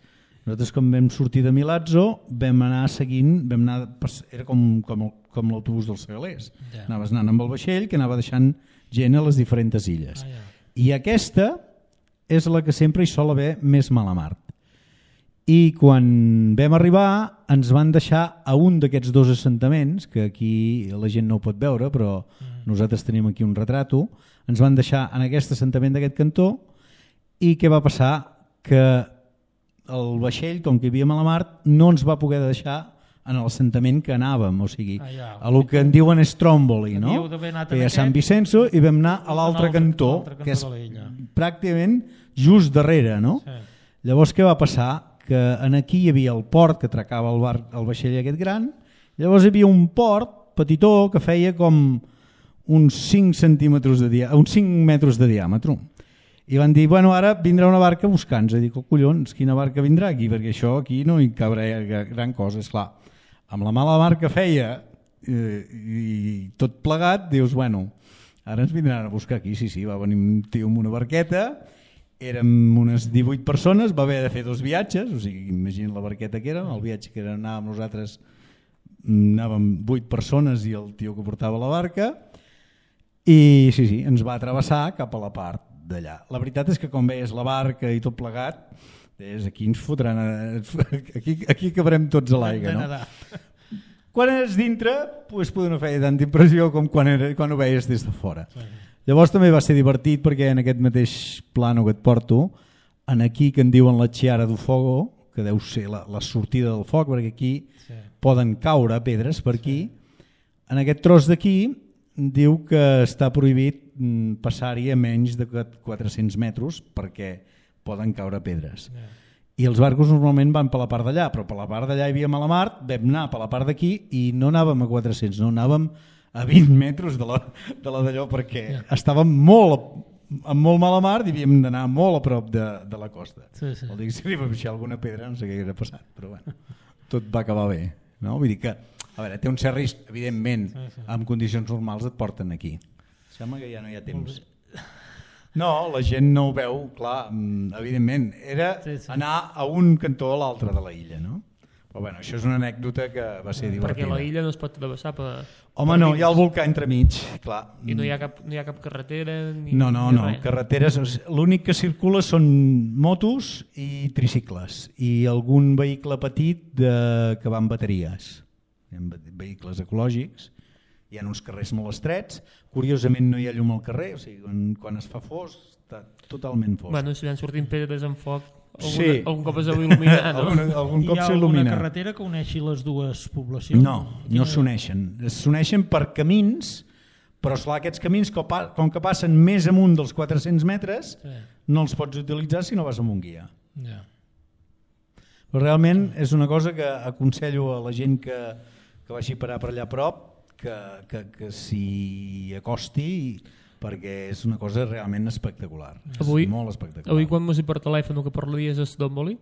nosaltres quan vam sortir de Milazzo vam anar seguint, era com l'autobús dels segalers, anaves anant amb el vaixell que anava deixant gent a les diferents illes. I aquesta és la que sempre hi sol haver més mala mar. I quan vam arribar ens van deixar a un d'aquests 2 assentaments, que aquí la gent no ho pot veure, però nosaltres tenim aquí un retrato, ens van deixar en aquest assentament d'aquest cantó i què va passar? Que el vaixell, com que hi havia mala mar, no ens va poder deixar en l'assentament que anàvem, o sigui, a lo que en diuen Stromboli, no? Que hi ha Sant Vicenzo i vam anar a l'altre cantó, que és pràcticament just darrere, no? Llavors què va passar? Que aquí hi havia el port que atracava el vaixell aquest gran, llavors hi havia un port petitó que feia com uns 5 metres de diàmetre. I van dir, bueno, ara vindrà una barca a buscar-nos. I dic, collons, quina barca vindrà aquí? Perquè això aquí no hi cabrà gran cosa. Esclar, amb la mala mar que feia i tot plegat, dius, bueno, ara ens vindran a buscar aquí. Sí, va venir un tio amb una barqueta, érem unes 18 persones, va haver de fer 2 viatges, o sigui, imagina't la barqueta que era, el viatge que anàvem nosaltres, anàvem 8 persones i el tio que portava la barca, i sí, ens va travessar cap a la part d'allà. La veritat és que quan veies la barca i tot plegat, aquí ens fotran, aquí cabrem tots a l'aigua, no? Quan eres dintre, pues, poder no feia tanta impressió com quan ho veies des de fora. Llavors també va ser divertit perquè en aquest mateix plano que et porto, en aquí que en diuen la Chiara do Fogo, que deu ser la sortida del foc, perquè aquí poden caure pedres per aquí, en aquest tros d'aquí diu que està prohibit passar-hi a menys de 400 metres perquè poden caure pedres. I els barcos normalment van per la part d'allà, però per la part d'allà hi havia mala mar, vam anar per la part d'aquí i no anàvem a 400, no anàvem a 20 metres de la d'allò perquè estàvem amb molt mala mar i havíem d'anar molt a prop de la costa. Vol dir que si li va baixar alguna pedra no sé què hauria passat, però bueno, tot va acabar bé. No? Vull dir que, a veure, té un cert risc, evidentment, en condicions normals et porten aquí. Sembla que ja no hi ha temps. No, la gent no ho veu, clar, evidentment. Era anar a un cantó a l'altre de la illa, no? Però bueno, això és una anècdota que va ser divertida.
Perquè la illa no es pot travessar per...
Home, no, hi ha el volcà entremig, clar.
I no hi ha cap carretera?
No, carreteres, l'únic que circula són motos i tricicles i algun vehicle petit que va amb bateries. Hi ha vehicles ecològics, hi ha uns carrers molt estrets, curiosament no hi ha llum al carrer, o sigui, quan es fa fosc està totalment fosc.
Bueno, si van sortint pedres en foc, algun cop es deu il·luminar, no?
Algun cop s'il·lumina.
Hi ha alguna carretera que uneixi les dues poblacions?
No s'uneixen. S'uneixen per camins, però esclar, aquests camins, com que passen més amunt dels 400 metres, no els pots utilitzar si no vas amb un guia. Però realment és una cosa que aconsello a la gent que vagi parar per allà a prop que s'hi acosti perquè és una cosa realment espectacular.
Avui,
molt espectacular.
Avui quan m'ho per telèfon que parlaries a Stromboli,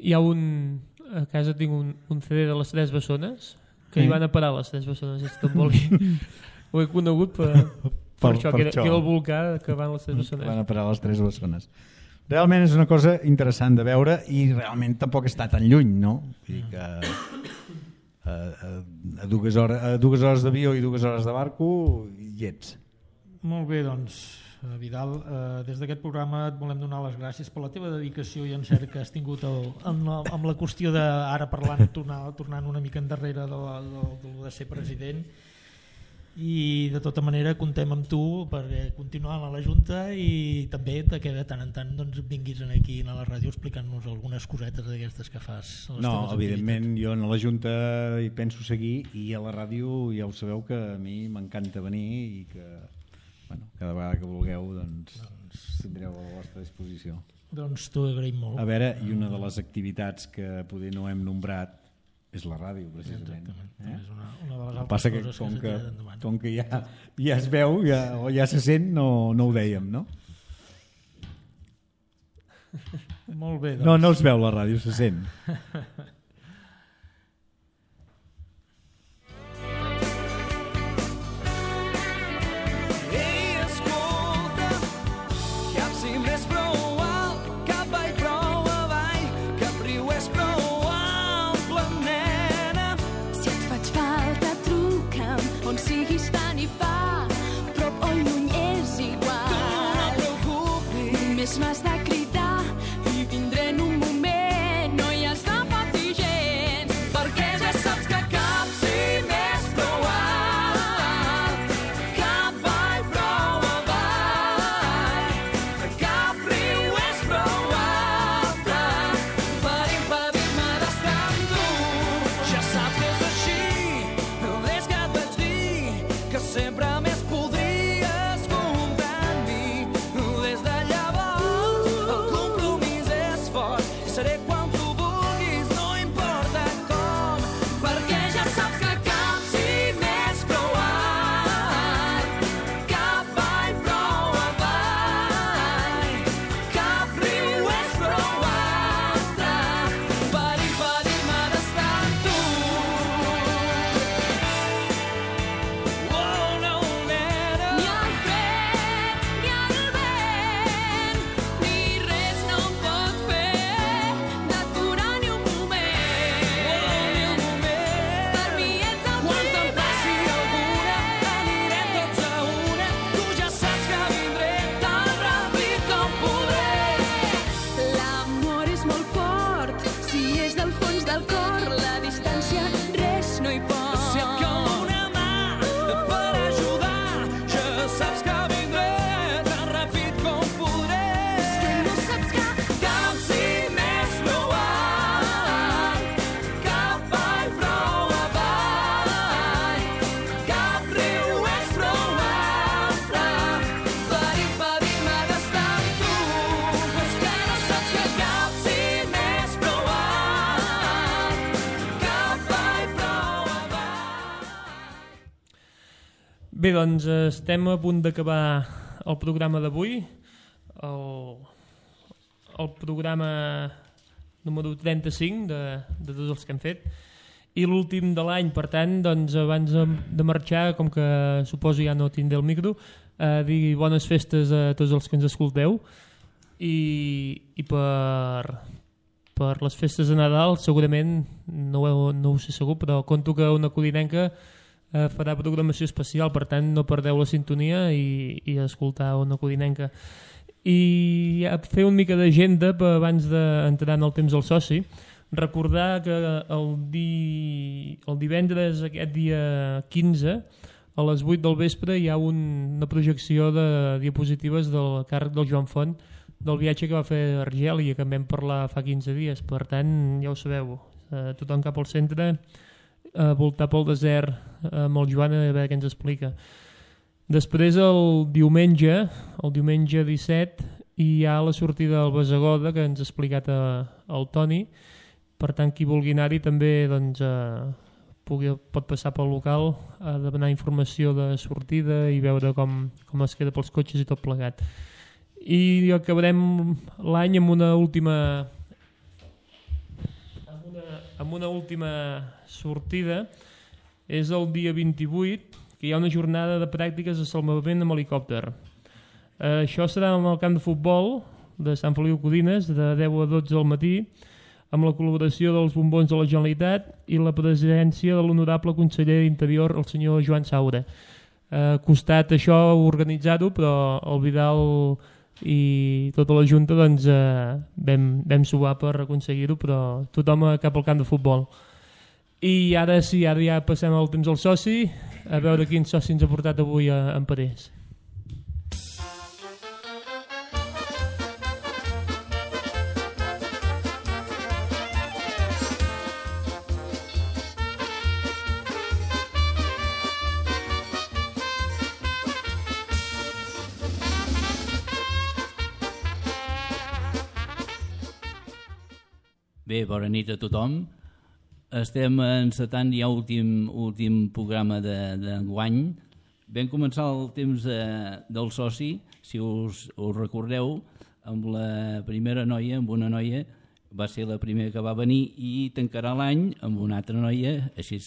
hi ha a casa tinc un CD de les 3 bessones que hi van a parar les 3 bessones a Stromboli. Ho he conegut per això, que era el volcà que van les 3 bessones.
Van a parar les 3 bessones. Realment és una cosa interessant de veure i realment tampoc està tan lluny, no? Vull dir que a 2 hores d'avió i 2 hores de barco hi ets.
Molt bé, doncs, Vidal, des d'aquest programa et volem donar les gràcies per la teva dedicació i encert que has tingut amb la qüestió d'ara parlant, tornant una mica endarrere de ser president, i de tota manera comptem amb tu per continuar a la Junta i també que de tant en tant vinguis aquí a la ràdio explicant-nos algunes cosetes d'aquestes que fas.
No, evidentment jo a la Junta hi penso seguir i a la ràdio ja ho sabeu que a mi m'encanta venir i que cada vegada que vulgueu tindreu a la vostra disposició.
Doncs t'ho agraïm molt.
A veure, i una de les activitats que poder no hem nombrat és la ràdio, precisament.
És una de les altres
passa que com que ja es veu o ja se sent, no ho dèiem, no?
Molt bé, doncs.
No es veu la ràdio, se sent.
M'has de cridar i vindré en un moment, no hi has de patir
Bé, doncs estem a punt d'acabar el programa d'avui, el programa número 35 de tots els que hem fet, i l'últim de l'any. Per tant, doncs, abans de marxar, com que suposo ja no tindré el micro, dir bones festes a tots els que ens escolteu, i per les festes de Nadal segurament, no ho sé segur, però conto que una codinenca farà programació especial, per tant no perdeu la sintonia i escoltar una codinenca. I fer una mica d'agenda abans d'entrar en el temps del soci. Recordar que el divendres, aquest dia 15, a les 8 del vespre hi ha una projecció de diapositives del càrrec del Joan Font del viatge que va fer a Argèlia, que en vam parlar fa 15 dies. Per tant, ja ho sabeu, tothom cap al centre, voltar pel desert amb el Joan a veure què ens explica. Després el diumenge 17, hi ha la sortida del Basagoda que ens ha explicat el Toni. Per tant, qui vulgui anar-hi també doncs, pot passar pel local a demanar informació de sortida i veure com es queda pels cotxes i tot plegat. I acabarem l'any amb una última sortida. És el dia 28, que hi ha una jornada de pràctiques de salvament amb helicòpter. Això serà en el camp de futbol de Sant Feliu Codines, de 10 a 12 del matí, amb la col·laboració dels bombons de la Generalitat i la presència de l'honorable conseller d'Interior, el senyor Joan Saura. Ha costat això organitzar-ho, però el Vidal i tota la Junta doncs, vam suar per aconseguir-ho, però tothom cap al camp de futbol. I ara sí, ara ja passem al temps del soci, a veure quin soci ens ha portat avui en Parés.
Bé, bona nit a tothom. Estem encetant ja últim programa d'enguany. Vam començar el temps del soci, si us recordeu, amb la primera noia, amb una noia, va ser la primera que va venir, i tancarà l'any amb una altra noia, així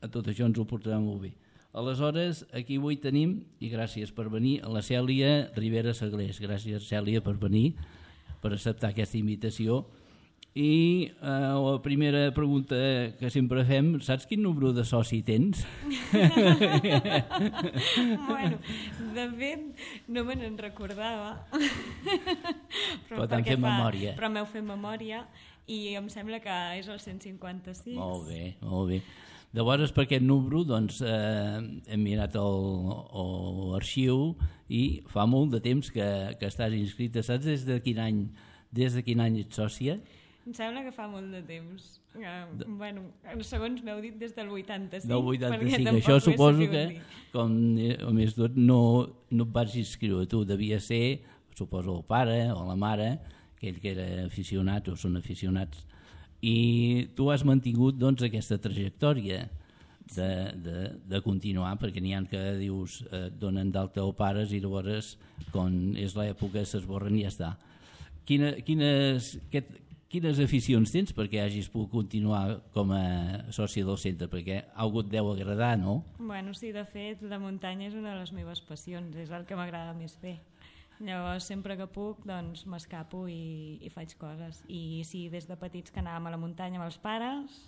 a tot això ens ho portarà molt bé. Aleshores, aquí avui tenim, i gràcies per venir, a la Cèlia Rivera Saglés. Gràcies, Cèlia, per venir, per acceptar aquesta invitació. I la primera pregunta que sempre fem, saps quin número de soci tens?
Bueno, de fet, no me n'en recordava.
Però t'han fet memòria.
Però m'heu fet memòria i em sembla que és el 156.
Molt bé, molt bé. Llavors, per aquest número, doncs, hem mirat l'arxiu i fa molt de temps que estàs inscrita. Saps des de quin any ets sòcia?
Em sembla que fa molt de temps. Bueno, segons m'heu dit des del 85.
Del 85, això suposo que, com a més tot, no et vas inscriure tu. Devia ser, suposo, el pare o la mare, aquell que era aficionat o són aficionats. I tu has mantingut doncs, aquesta trajectòria de continuar, perquè n'hi ha que dius donen d'alta o pares i llavors, quan és l'època, s'esborren i ja està. Quines aficions tens perquè hagis pogut continuar com a soci del centre? Perquè algú et deu agradar, no?
Bueno, sí, de fet, la muntanya és una de les meves passions, és el que m'agrada més fer. Llavors, sempre que puc, doncs m'escapo i faig coses. I sí, des de petits que anàvem a la muntanya amb els pares,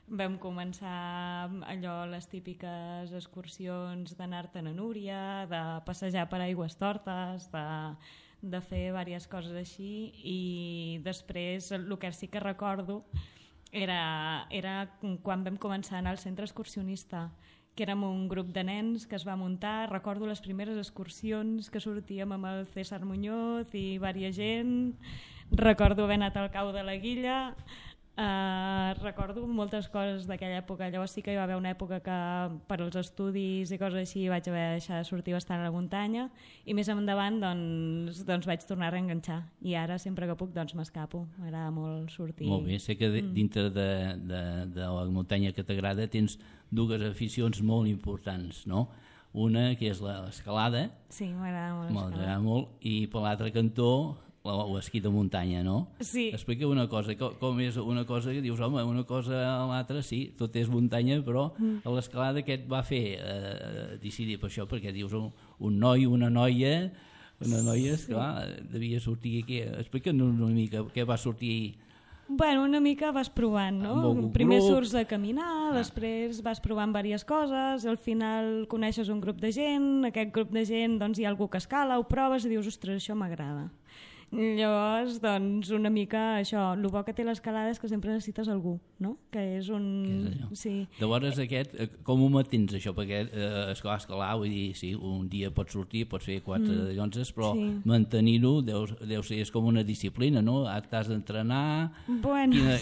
vam començar allò, les típiques excursions d'anar-te'n a Núria, de passejar per aigües tortes, de fer diverses coses així, i després el que sí que recordo era quan vam començar a anar al centre excursionista, que érem un grup de nens que es va muntar. Recordo les primeres excursions que sortíem amb el César Muñoz i diversa gent. Recordo haver anat al cau de la Guilla. Recordo moltes coses d'aquella època. Llavors sí que hi va haver una època que per als estudis i coses així vaig haver de deixar de sortir bastant a la muntanya, i més endavant doncs vaig tornar a reenganxar, i ara sempre que puc doncs m'escapo, m'agrada molt sortir.
Molt bé, sé que dintre de la muntanya que t'agrada tens dues aficions molt importants, no? una que és l'escalada,
Sí, m'agrada molt.
m'agrada molt, i per l'altre cantó l'esquí de muntanya, no?
Sí.
Explica una cosa, com és una cosa que dius, home, una cosa a l'altra, sí, tot és muntanya, però a l'escalada què et va fer decidir per això? Perquè dius un noi, una noia, esclar, devia sortir aquí. Explica'ns una mica què va sortir.
Bueno, una mica vas provant, no? Primer surts a caminar, després vas provant diverses coses, al final coneixes un grup de gent, aquest grup de gent doncs hi ha algú que escala, ho proves i dius, ostres, això m'agrada. Llavors, doncs, una mica això, el bo que té l'escalada és que sempre necessites algú, no? Que és un... Sí.
Llavors aquest, com ho mantens això? Perquè escalar, vull dir, sí, un dia pots sortir, pots fer 4 llonzes, però mantenir-ho deu ser és com una disciplina, no? T'has d'entrenar...
Bueno,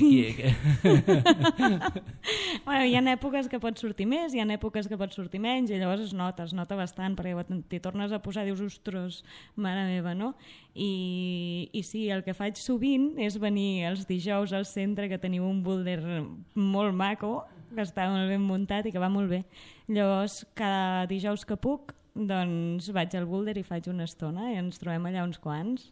bueno, hi ha èpoques que pots sortir més, hi ha èpoques que pots sortir menys, i llavors es nota bastant, perquè t'hi tornes a posar, dius, ostres, mare meva, no? I sí, el que faig sovint és venir els dijous al centre, que teniu un boulder molt maco, que està molt ben muntat i que va molt bé. Llavors, cada dijous que puc, doncs vaig al boulder i faig una estona i ens trobem allà uns quants.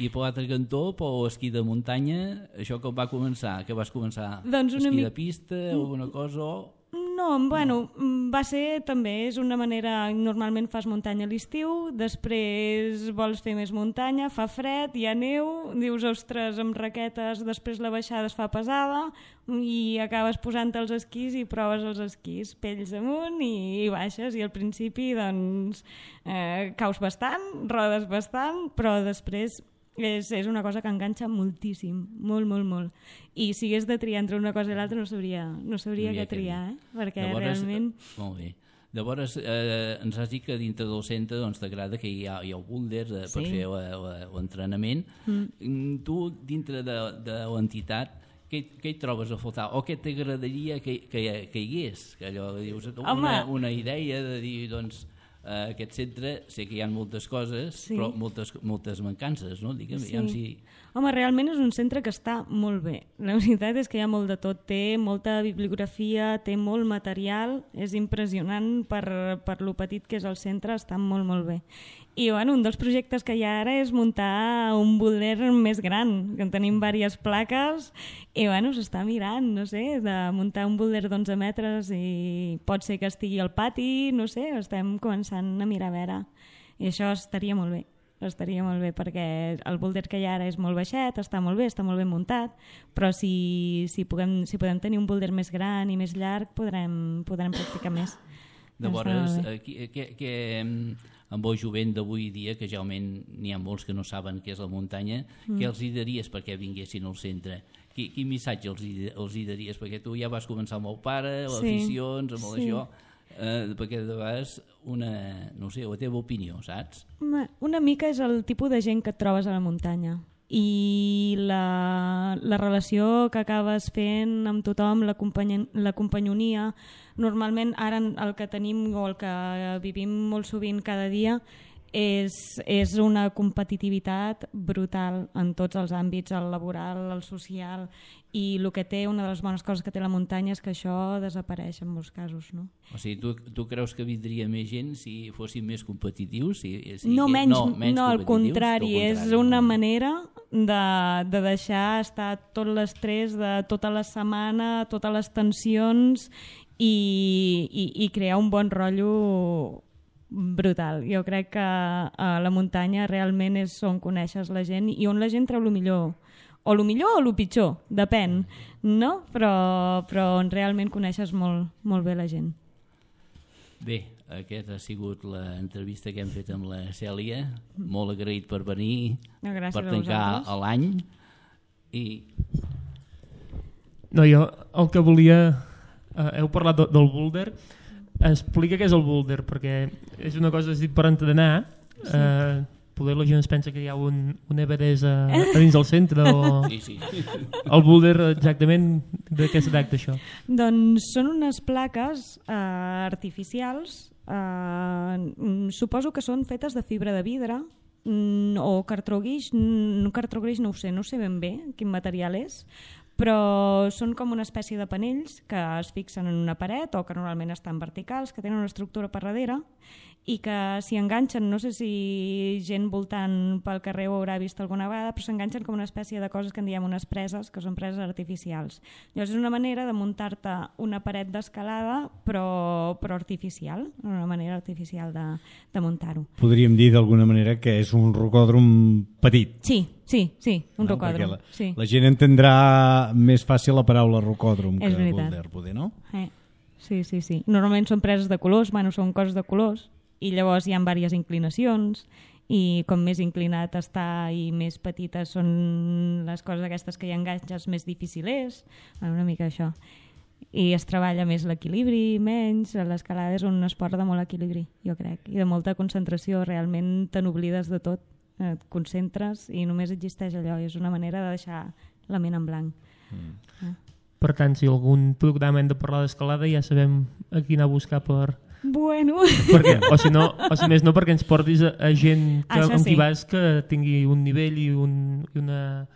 I per l'altre cantó, per esquí de muntanya, això com va començar? Què vas començar?
Doncs
esquí de pista o alguna cosa?
No, bueno, va ser també, és una manera, normalment fas muntanya a l'estiu, després vols fer més muntanya, fa fred, hi ha neu, dius, ostres, amb raquetes, després la baixada es fa pesada i acabes posant els esquís i proves els esquís, pells amunt i baixes, i al principi doncs caus bastant, rodes bastant, però després és una cosa que enganxa moltíssim, molt, molt, molt. I si hagués de triar entre una cosa i l'altra no sabria què triar, perquè llavors, realment...
Molt bé. Llavors ens has dit que dintre del centre doncs, t'agrada que hi ha boulders per fer l'entrenament. Tu, dintre de l'entitat, què hi trobes a faltar? O què t'agradaria que hi hagués? Que allò dius, una idea de dir, doncs, aquest centre, sé que hi ha moltes coses, però moltes mancances, no? Digue'm, si...
Home, realment és un centre que està molt bé. La veritat és que hi ha molt de tot. Té molta bibliografia, té molt material, és impressionant per lo petit que és el centre, està molt, molt bé. I bueno, un dels projectes que hi ha ara és muntar un boulder més gran, que en tenim diverses plaques, i bueno, s'està mirant, no sé, de muntar un boulder d'11 metres i pot ser que estigui al pati, no sé, estem començant a mirar a veure. I això estaria molt bé perquè el boulder que hi ha ara és molt baixet, està molt ben muntat, però si podem tenir un boulder més gran i més llarg podrem practicar més.
Llavors, amb el jovent d'avui dia, que realment n'hi ha molts que no saben què és la muntanya, què els hi daries perquè vinguessin al centre? Quin missatge els hi daries? Perquè tu ja vas començar amb el pare, les aficions, amb això, perquè de vegades no sé, la teva opinió, saps?
Una mica és el tipus de gent que et trobes a la muntanya i la relació que acabes fent amb tothom, la companyonia. Normalment ara el que tenim o el que vivim molt sovint cada dia és una competitivitat brutal en tots els àmbits, el laboral, el social, i el que té, una de les bones coses que té la muntanya és que això desapareix en molts casos, no?
O sigui, tu creus que vindria més gent si fossin més competitius?
No, al contrari, és una manera de deixar estar tot l'estrès de tota la setmana, totes les tensions i crear un bon rotllo brutal. Jo crec que la muntanya realment és on coneixes la gent i on la gent treu el millor. O el millor o el pitjor, depèn, no? Però on realment coneixes molt, molt bé la gent.
Bé, aquesta ha sigut l'entrevista que hem fet amb la Cèlia. Molt agraït per venir, per tancar l'any.
No, jo el que volia... Heu parlat del boulder. Explica què és el boulder, perquè és una cosa per entrenar. Poder la gent es pensa que hi ha un Everest a dins del centre o...
Sí.
El boulder exactament de què es tracta això?
Doncs són unes plaques artificials, suposo que són fetes de fibra de vidre o cartró guix no ho sé, no sé ben bé quin material és, però són com una espècie de panells que es fixen en una paret o que normalment estan verticals, que tenen una estructura per darrere i que s'hi enganxen, no sé si gent voltant pel carrer ho haurà vist alguna vegada, però s'enganxen com una espècie de coses que en diem unes preses, que són preses artificials. Llavors és una manera de muntar-te una paret d'escalada però artificial, una manera artificial de muntar-ho.
Podríem dir d'alguna manera que és un rocòdrom petit.
Sí, un rocòdrom.
La gent entendrà més fàcil la paraula rocòdrom que boulder, poder, no?
Sí. Normalment són preses de colors, són coses de colors, i llavors hi ha diverses inclinacions i com més inclinat està i més petites són les coses aquestes que hi enganxes més difícils, una mica això. I es treballa més l'equilibri, menys, l'escalada és un esport de molt equilibri, jo crec, i de molta concentració, realment te n'oblides de tot, et concentres i només existeix allò, i és una manera de deixar la ment en blanc.
Per tant, si algun programa hem de parlar d'escalada ja sabem a qui anar a buscar per...
Bueno...
Perquè, o si més no, perquè ens portis a gent amb qui vas que tingui un nivell i una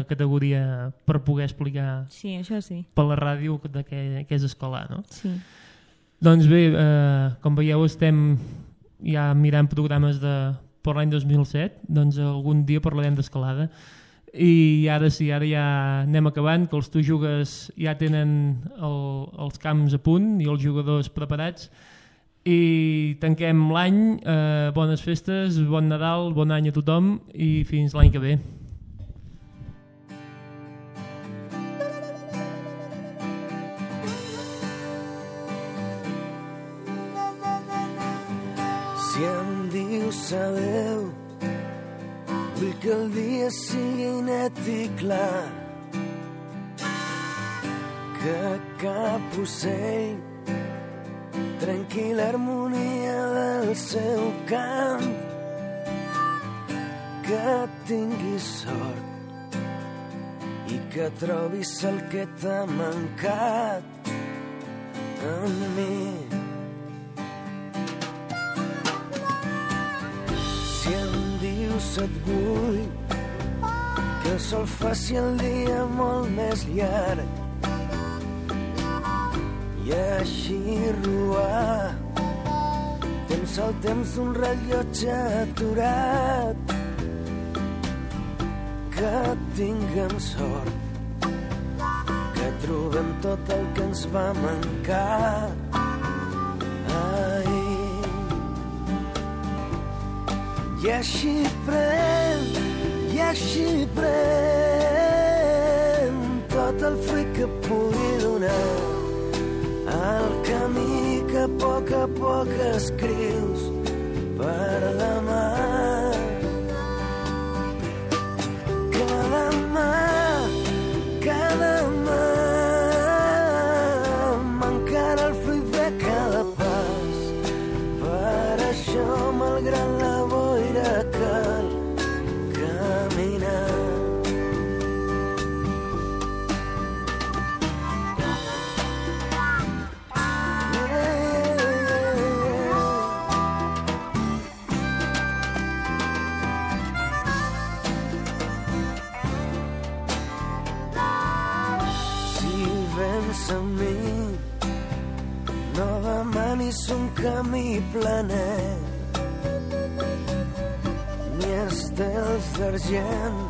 categoria per poder explicar per la ràdio de què és escalar, no?
Sí.
Doncs bé, com veieu estem ja mirant programes per l'any 2007, doncs algun dia parlarem d'escalada. I ara ja anem acabant, que els Tu Jugues ja tenen els camps a punt i els jugadors preparats, i tanquem l'any. Bones festes, bon Nadal, bon any a tothom i fins l'any que ve.
Si em dius adeu, vull que el dia sigui net i clar, que cap ocell trenqui l'harmonia del seu cant, que tinguis sort i que trobis el que t'ha mancat en mi. Si em dius et vull, que el sol faci el dia molt més llarg i així robar temps al temps d'un rellotge aturat, que tinguem sort, que trobem tot el que ens va mancar ahir. I així pren tot el fruit que pugui donar el camí que a poc escrius per demà. Cada mà m'encara el fruit de cada pas. Per això, malgrat la boira, cal caminar. Amb mi no demanis un camí planer ni estels d'argent